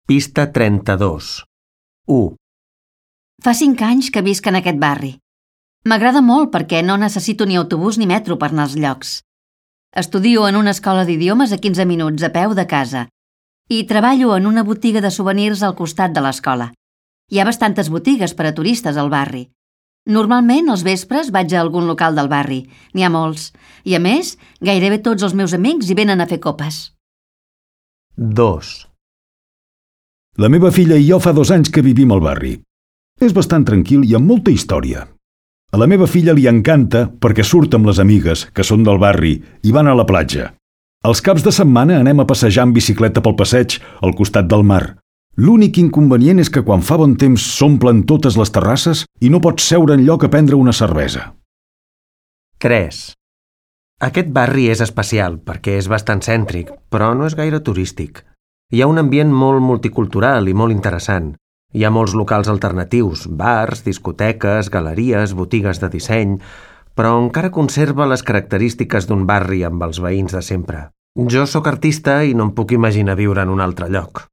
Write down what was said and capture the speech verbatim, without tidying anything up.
Pista trenta-dos. u. Fa cinc anys que visc en aquest barri. M'agrada molt perquè no necessito ni autobús ni metro per anar als llocs. Estudio en una escola d'idiomes a quinze minuts a peu de casa i treballo en una botiga de souvenirs al costat de l'escola. Hi ha bastantes botigues per a turistes al barri. Normalment, als vespres, vaig a algun local del barri. N'hi ha molts. I, a més, gairebé tots els meus amics hi venen a fer copes. dos. La meva filla i jo fa dos anys que vivim al barri. És bastant tranquil i amb molta història. A la meva filla li encanta perquè surt amb les amigues, que són del barri, i van a la platja. Els caps de setmana anem a passejar en bicicleta pel passeig, al costat del mar. L'únic inconvenient és que quan fa bon temps s'omplen totes les terrasses i no pots seure enlloc a prendre una cervesa. tres. Aquest barri és especial perquè és bastant cèntric, però no és gaire turístic. Hi ha un ambient molt multicultural i molt interessant. Hi ha molts locals alternatius, bars, discoteques, galeries, botigues de disseny, però encara conserva les característiques d'un barri amb els veïns de sempre. Jo sóc artista i no em puc imaginar viure en un altre lloc.